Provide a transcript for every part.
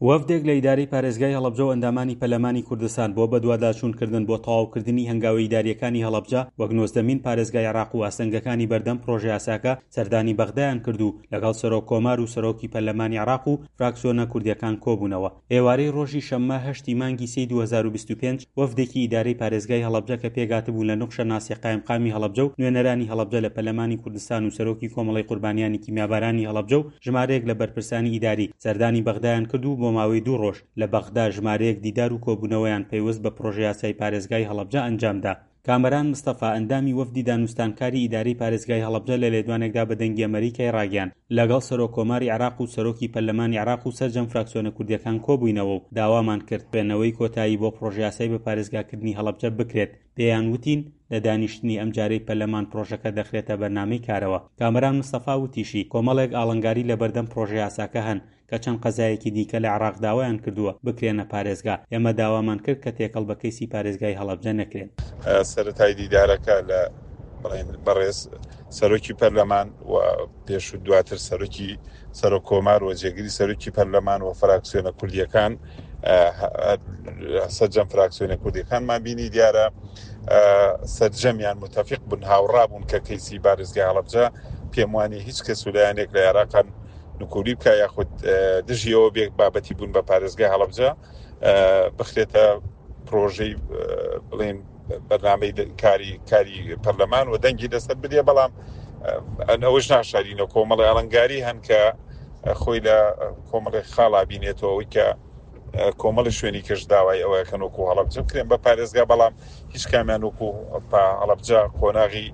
وەفدێک لە ئیدارەی پارێزگای هەڵەبجە و ئەندامانی پەرلەمانی کوردستان بۆ بەدواداچوونکردن بۆ تەواوکردنی هەنگاوە ئیدارییەکانی هەڵەبجە وەک نۆزدەمین پارێزگای عێراق و ئاستەنگەکانی بەردەم پڕۆژەیاساکە سەردانی بەغدایان کرد و لەگەڵ سەرۆک کۆمار و سەرۆکی پەرلەمانی عێراق و فراکسیۆنە کوردییەکان کۆبوونەوە. ئێوارەی ڕۆژی شەممە هەشتی مانگی سێی 2025 وەفدێکی ئیدارەی پارێزگای هەڵەبجە کە پێکهاتبوون لە نوخشە ناسیح قایمقامی هەڵەبجە و نوێنەرانی هەڵەبجە لە پەرلەمانی کوردستان و سەرۆکی کۆمەڵەی قوربانیانی کیمیابارانی هەڵەبجە و ژمارەیەک لە بەرپرسانی ئیداری سەردانی بەغدایان کرد و بۆ ماوەی دوو ڕۆژ لە بەغدا ژمارەیەک دیدار و کۆبوونەوەیان پەیوەست بە پڕۆژەیاسای پارێزگای هەڵەبجە ئەنجامدا. کامەران مستەفا، ئەندامی وەفدی دانوستانکاری ئیدارەی پارێزگای هەڵەبجە لە لێدوانێکدا بە دەنگی ئەمەریکای ڕاگەیاند، لەگەڵ سەرۆک کۆماری عێراق و سەرۆکی پەرلەمانی عێراق و سەرجەم فراکسیۆنە کوردییەکان کۆبووینەوە و داوامان کرد خوێندنەوەی کۆتایی بۆ پڕۆژەیاسای بەپارێزگاکردنی هەڵەبجە بکرێت، پێیان وتین لە دانیشتنی ئەمجارەی پەرلەمان پڕۆژەکە دەخرێتە بەرنامەی کارەوە. کامەران مستەفا وتیشی، کۆمەڵێک ئاڵنگاری لەبەردەم پڕۆژەیاساکە هەن کە چەند قەزایەکی دیکە لە عێراق داوایان کردووە بکرێنە پارێزگا، ئێمە داوامان کرد کە تێکەڵ بە کەیسی پارێزگای هەڵەبجە نەکرێن. سەرەتای دیدارەکە لە بڵێن بەڕێز سەرۆکی پەرلەمان و پێش و دواتر سەرۆکی سەرۆک کۆمار و جێگری سەرۆکی پەرلەمان و فراکسیۆنە کوردیەکان سەرجەم فراکسیۆنە کوردیەکانمان بینی دیارە سەرجەمیان متفق بوون هاوڕا بوون کە کەیسی بارزگای هەڵەبجە پێم وانی هیچ کەس و لایەنێک لە عێراقان نکولی بکە یاخود دژیەوە بێک بابەتی بوون بە پارێزگای هەڵەبجە بخرێتە پرۆژەی بڵێن بەرنامەی کاری کاری پەرلەمان و دەنگی لەسەر بدێ بەڵام ئەوەش ناشارینەوە کۆمەڵی ئاڵنگاری هەن کە خۆی لە کۆمەڵی خاڵا بینێتەوە ئەوەی کە کۆمەڵی شوێنی کەش داوای ئەوەکەن وەکو هەڵەبجە بکرێن بە پارێزگا بەڵام هیچ کامیان وەکو هەڵەبجە قۆناغی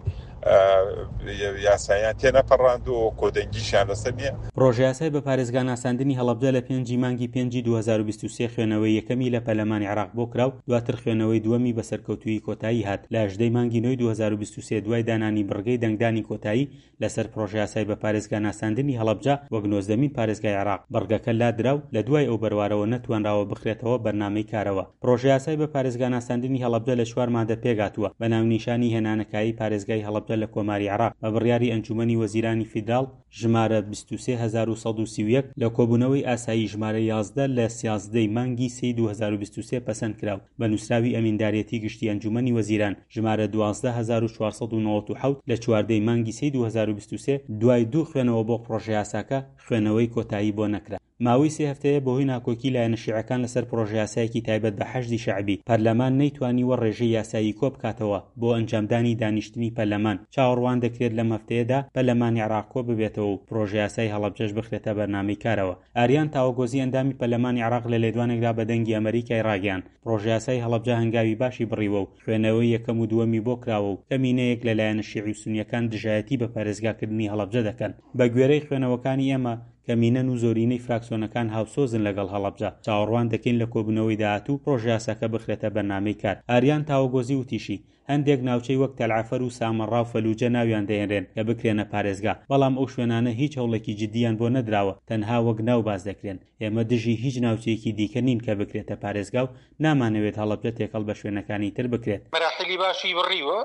یاسایان تێنەپەڕاند و کۆدەنگیشیان لەسەر نییە. پڕۆژەیاسای بە پارێزگا ناساندنی هەڵەبجە لە پێنجی مانگی پێنجی 2023 خوێنەوەی یەکەمی لە پەرلەمانی عێراق بۆ کرا و دواتر خوێنەوەی دووەمی بە سەرکەوتوویی کۆتایی هات لە هەژدەی مانگی نۆی 2023 دوای دانانی بڕگەی دەنگدانی کۆتایی لەسەر پڕۆژەیاسای بە پارێزگا ناساندنی هەڵەبجە وەک نۆزدەمین پارێزگای عێراق، بڕگەکە لادرا و لە دوای ئەو بەروارەوە نەتوانراوە بخرێتەوە بەرنامەی کارەوە. پڕۆژەیاسای بە پارێزگا ناساندنی هەڵەبجە لە چوار مادە پێکهاتووە بە ناونیشانی هێنانەکایەی پارێزگای هەڵەبجە لە کۆماری عێراق بە بڕیاری ئەنجومەنی وەزیرانی فیدراڵ ژمارە 23131 لە کۆبوونەوەی ئاسایی ژمارە 11 لە 13 ی مانگی سێی 2023 پەسەند کرا و بە نووسراوی ئەمینداریەتی گشتی ئەنجومەنی وەزیران ژمارە 12497 لە 14 ی مانگی سێی 2023 دوای دوو خوێنەوە بۆ پڕۆژەیاساکە خوێنەوەی کۆتایی بۆ نەکرا. ماوەی سێ هەفتەیە بەهۆی ناکۆکی لایەنە شیعەکان لەسەر پڕۆژەیاسایەکی تایبەت بە حەشدی شەعبی، پەرلەمان نەیتوانیوە ڕێژەی یاسایی کۆبکاتەوە بۆ ئەنجامدانی دانیشتنی پەرلەمان، چاوەڕوان دەکرێت لەم هەفتەیەدا پەرلەمانی عێراق کۆببێتەوە و پڕۆژەیاسای هەڵەبجەش بخرێتە بەرنامەی کارەوە. ئاریان تاوەگۆزی ئەندامی پەرلەمانی عێراق لە لێدوانێکدا بە دەنگی ئەمەریکای ڕاگەیاند، پڕۆژەیاسای هەڵەبجە هەنگاوی باشی بڕیوە و خوێنەوەی یەکەم و دووەمی بۆ کراوە و کەمینەیەک لە لایەنە شیعی و سونییەکان دژایەتی بە پارێزگاکردنی هەڵەبجە دەکەن. بەگوێرەی خوێنەوەکانی ئێمە، کەمینەن و زۆرینەی فراکسیۆنەکان هاوسۆزن لەگەڵ هەڵەبجە، چاوەڕوان دەکەین لە کۆبوونەوەی داهاتوو پڕۆژەیاساکە بخرێتە بەرنامەی کار. ئاریان تاوەگۆزی وتیشی، هەندێک ناوچەی وەک تەلعەفەر و سامەڕا و فەلوجە ناویان دەهێنرێن کە بکرێنە پارێزگا، بەڵام ئەو شوێنانە هیچ هەوڵێکی جدییان بۆ نەدراوە، تەنها وەک ناو باس دەکرێن. ئێمە دژی هیچ ناوچەیەکی دیکە نین کە بکرێتە پارێزگا و نامانەوێت هەڵەبجە تێکەڵ بە شوێنەکانی تر بکرێت. مەراحیلی باشی بڕیوە،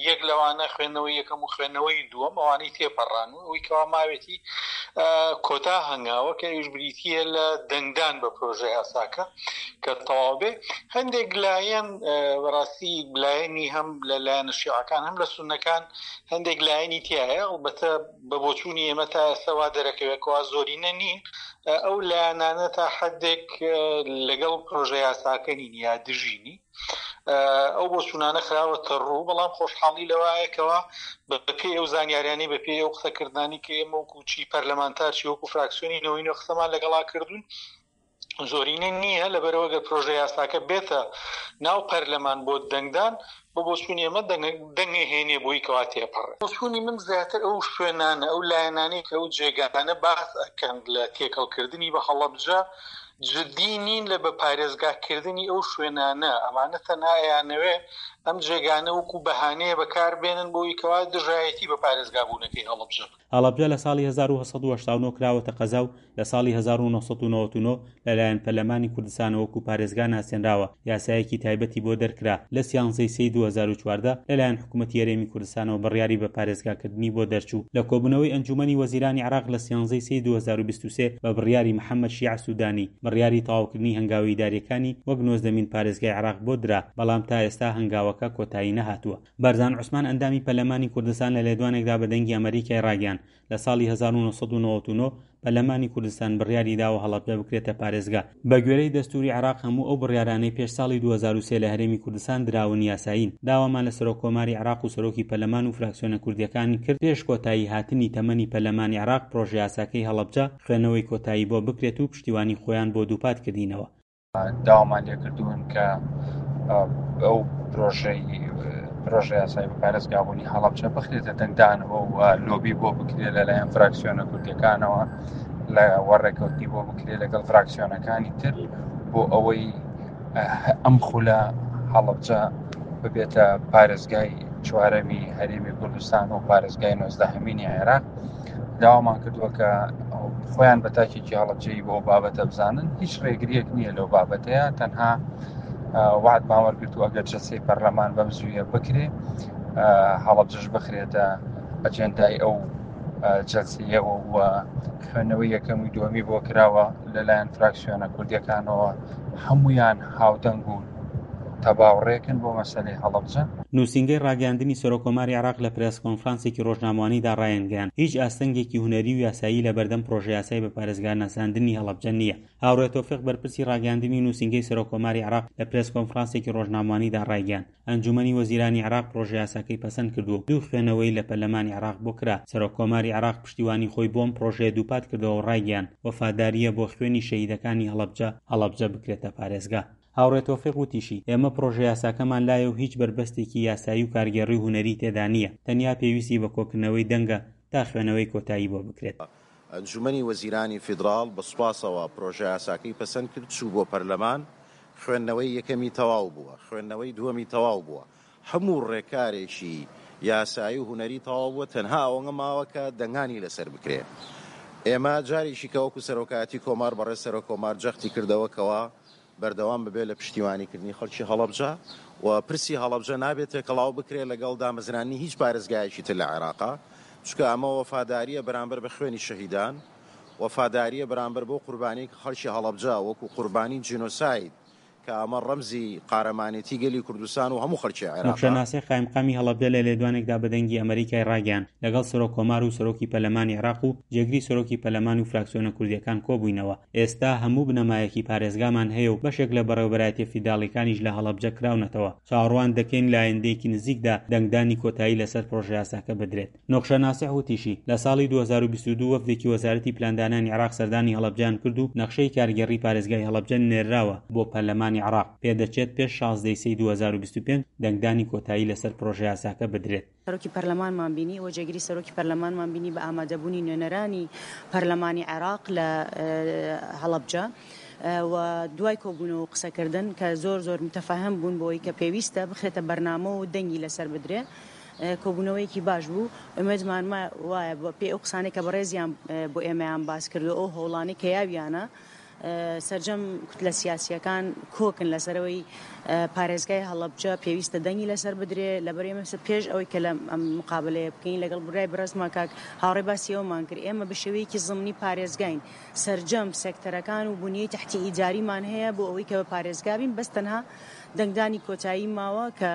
یەک لەوانە خوێندنەوەی یەکەم و خوێندنەوەی دووەم، ئەوانەی تێپەڕان و ئەوەی کەوا ماوێتی کۆتا هەنگاوە کە ئەویش بریتییە لە دەنگدان بە پرۆژەیاساکە کە تەواو بێ. هەندێک لایەن بەڕاستی لایەنی هەم لە لایەنە شیعەکان هەم لە سوننەکان هەندێک لایەنی تیایە، ئەڵبەتە بە بۆچوونی ئێمە تا ئێستا وا دەرەکەوێت کەوا زۆرینە نین، ئەو لایەنانە تا حدێک لەگەڵ پرۆژە یاساکە نین یا دژی نین، ئەو بۆچوونانە خراوەتە ڕوو، بەڵام خۆشحاڵی لەوایە کەوا بەپێی ئەو زانیاریانەی بەپێی ئەو قسەکردنانی کە ئێمە وەکو چی پەرلەمانتار چی وەکو فراکسیۆنی نەوەی نوێ قسەمان لەگەڵا کردوون زۆرینە نییە، لەبەرئەوە گەر پرۆژە یاساکە بێتە ناو پەرلەمان بۆ دەنگدان، بە بۆچوونی ئێمە دەنگ ئەهێنێ بۆی کەوا تێپەڕێ. بۆچوونی من زیاتر ئەو شوێنانە، ئەو لایەنانەی کە ئەو جێگانە باس ئەکەن لە تێکەڵکردنی بە هەڵەبجە، جدی نین لە بە پارێزگاکردنی ئەو شوێنانە، ئەمانە تەنها ئەیانەوێ ئەم جێگانە وەکو بەهانەیە بەکار بێنن بۆی کەوا دژایەتی بە پارێزگابوونەکەی هەڵەبجە بکەن. هەڵەبجە لە ساڵی 1889 کراوەتە قەزا و لە لە ساڵی 1999 لەلایەن پەرلەمانی کوردستانەوە وەکو پارێزگا ناسێنراوە، یاسایەکی تایبەتی بۆ دەرکرا، لە سیانزەی سێی 2014 لەلایەن حکومەتی هەرێمی کوردستانەوە بڕیاری بە پارێزگاکردنی بۆ دەرچوو. لە کۆبوونەوەی ئەنجوومەنی وەزیرانی عێراق لە سیانزەی سێی 2023 بە بڕیاری محەمەد شیاع سوودانی، بڕیاری تەواوکردنی هەنگاوە ئیدارییەکانی وەک نۆزدەمین پارێزگای عێراق بۆ درا، بەڵام تا ئێستا هەنگاوەکە کۆتایی نەهاتووە. بەرزان عوسمان ئەندامی پەرلەمانی کوردستان لە لێدوانێکدا بە دەنگی ئەمەریکای ڕاگەیاند، لە ساڵی 1999 پەرلەمانی کوردستان بڕیاری داوە هەڵەبجە بکرێتە پارێزگا. بەگوێرەی دەستووری عێراق هەموو ئەو بڕیارانەی پێش ساڵی 2003 لە هەرێمی کوردستان دراون یاسایین. داوامان لە سەرۆککۆماری عێراق و سەرۆکی پەرلەمان و فراکسیۆنە کوردییەکان کرد پێش کۆتایی هاتنی تەمەنی پەرلەمانی عێراق پرۆژەیاساکەی هەڵەبجە خوێندنەوەی کۆتایی بۆ بکرێت و پشتیوانی خۆیان بۆ دووپات کردینەوە. داوامان لێکردوون کە ئەو پرۆژەی پرۆژە یاسای بە پارێزگابوونی هەڵەبجە بخرێتە دەنگدانەوە و لۆبی بۆ بکرێت لەلایەن فراکسیۆنە کوردیەکانەوە لە وەڕێکەوتنی بۆ بکرێت لەگەڵ فراکسیۆنەکانی تر بۆ ئەوەی ئەم خولە هەڵەبجە ببێتە پارێزگای چوارەمی هەرێمی کوردستان و پارێزگای نۆزدەهەمینی عێراق داوامان کردووە کە خۆیان بە تاکێکی هەڵەبجەیی بۆ بابەتە بزانن هیچ ڕێگریەک نییە لەو بابەتەیە تەنها وعدمان وەرگرتووە ئەگەر جەلسەی پەرلەمان بەم زوویە بکرێ هەڵەبجەش بخرێتە ئەجێندای ئەو جەلسەیەوە و خوێندنەوەی یەکەم و دووەمی بۆ کراوە لەلایەن فراکسیۆنە کوردیەکانەوە هەمویان هاودەنگ و تەباوڕێکن بۆ مەسەلەی هەڵەبجە. نووسینگەی ڕاگەیاندنی سەرۆککۆماری عێراق لە پرێس کۆنفرانسێکی ڕۆژنامەوانیدا ڕایانگەیاند، هیچ ئاستەنگێکی هونەری و یاسایی لەبەردەم پڕۆژەیاسای بە پارێزگا ناساندنی هەڵەبجە نییە. هاوڕێ تۆفیق بەرپرسی ڕاگەیاندنی نووسینگەی سەرۆککۆماری عێراق لە پرێس کۆنفرانسێکی ڕۆژنامەوانیدا ڕایگەیاند، ئەنجوومەنی وەزیرانی عێراق پڕۆژەیاساکەی پەسەند کردووە و دوو خوێنەوەی لە پەرلەمانی عێراق بۆ کرا، سەرۆککۆماری عێراق پشتیوانی خۆی بۆ ئەم پڕۆژەیە دووپات کردەوە و ڕایگەیاند، وەفادارییە بۆ خوێنی شەهیدەکانی هەڵەبجە، هەڵەبجە بکرێتە پارێزگا. هاوڕێ تۆفیق وتیشی، ئێمە پڕۆژەیاساکەمان لایە و هیچ بەربەستێکی یاسایی و کارگێڕی و هونەری تێدا نییە، تەنیا پێویستی بە کۆکردنەوەی دەنگە تا خوێنەوەی کۆتایی بۆ بکرێت. ئەنجومەنی وەزیرانی فیدراڵ بە سوپاسەوە پرۆژەیاساکەی پەسەند کرد، چوو بۆ پەرلەمان، خوێندنەوەی یەکەمی تەواو بووە، خوێندنەوەی دووەمی تەواو بووە، هەموو ڕێکارێکی یاسایی و هونەری تەواو بووە، تەنها ئەوەنە ماوە کە دەنگانی لەسەر بکرێ. ئێمە جارێکی کە وەکو سەرۆکایەتی کۆمار بەڕێز سەرۆک کۆمار جەختی کردەوە کەوا بەردەوام ببێت لە پشتیوانیکردنی خەڵکی هەڵەبجە و پرسی هەڵەبجە نابێت تێکەڵاو بکرێت لەگەڵ دامەزراندنی هیچ پارێزگایەکی تر لە عێراقا، چونکە ئەمە وەفادارییە بەرامبەر بە خوێنی شەهیدان، وەفادارییە بەرامبەر بەو قوربانیەی کە خەڵکی هەڵەبجە وەکو قوربانی جینۆساید کە ئەمە ڕەمزی قارەمانێتی گەلی کوردستان و هەموو خەڵکی عێراقە. نەخشە ناسیح قایمقامی هەڵەبجە لە لێدوانێکدا بە دەنگی ئەمەریکای ڕاگەیاند، لەگەڵ سەرۆک کۆمار و سەرۆکی پەرلەمانی عێراق و جێگری سەرۆکی پەرلەمان و فراکسیۆنە کوردییەکان کۆبووینەوە، ئێستا هەموو بنەمایەکی پارێزگامان هەیە و بەشێک لە بەڕێوەبەرایەتیە فیدراڵیەکانیش لە هەڵەبجە کراونەتەوە، چاوەڕوان دەکەین لە ئایندەیەکی نزیکدا دەنگدانی کۆتایی لەسەر پڕۆژەیاساکە بدرێت. نوخشە ناسح وتیشی، لە ساڵی 2022 وەفدێکی وەزارەتی پلاندانانی عێراق سەردانی هەڵەبجەیان کرد و نەخشەی کارگێڕی پارێزگای هەڵەبجە نێرراوە بۆ پەرلەمانی عێراق، پێدەچێت پێش 16 ی سێی 2025 دەنگدانی کۆتایی لەسەر پڕۆژەیاساکە بدرێت. سەرۆکی پەرلەمانمان بینی و جێگری سەرۆکی پەرلەمانمان بینی بە ئامادەبوونی نوێنەرانی پەرلەمانی عێراق لە هەڵەبجە و دوای کۆبوونەوە و قسەکردن کە زۆر زۆر متەفەهم بوون بۆی کە پێویستە بخرێتە بەرنامە و دەنگی لەسەر بدرێ کۆبوونەوەیەکی باش بوو ئومێدمان وایە بە پێی ئەو قسانەی کە بەڕێزیان بۆ ئێمەیان باس کرد و ئەو هەوڵانەی کە یاویانە سەرجەم کوتلە سیاسییەکان کۆکن لەسەر ئەوەی پارێزگای هەڵەبجە پێویستە دەنگی لەسەر بدرێ، لەبەر ئێمە پێش ئەوەی کە لە ئەم مقابەلەیە بکەین لەگەڵ برای بەڕێزمان کاک هاوڕێ باسی ئەوەمان کرد ئێمە بە شێوەیەکی زمنی پارێزگاین سەرجەم سێکتەرەکان و بنیەی تەحتی ئیداریمان هەیە بۆ ئەوەی کە بە پارێزگا بین بەس تەنها دەنگدانی کۆتایی ماوە کە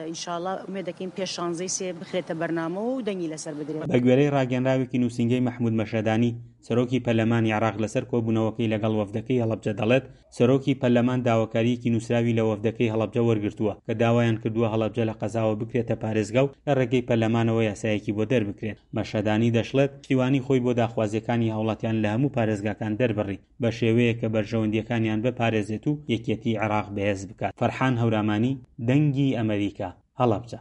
ئینشاڵا ئومێد دەکەین پێش شانزەی سێ بخرێتە بەرنامەوە و دەنگی لەسەر بدرێت. بەگوێرەی ڕاگەیەنراوێکی نووسینگەی مەحمود مەشهەدانی، سەرۆکی پەرلەمانی عێراق لەسەر کۆبوونەوەکەی لەگەڵ وەفدەکەی هەڵەبجە دەڵێت، سەرۆکی پەرلەمان داواکارییەکی نووسراوی لە وەفدەکەی هەڵەبجە وەرگرتووە کە داوایان کردووە هەڵەبجە لە قەزاوە بکرێتە پارێزگا و لە ڕێگەی پەرلەمانەوە یاسایەکی بۆ دەربکرێت. مەشهەدانی دەشڵێت، پشتیوانی خۆی بۆ داخوازییەکانی هاوڵاتیان لە هەموو پارێزگاکان دەربڕی بە شێوەیەک کە بەرژەوەندییەکانیان بپارێزێت و یەکێتیی عێراق بەهێز بکات. فەرحان هەورامانی، دەنگی ئەمەریکا، هەڵەبجە.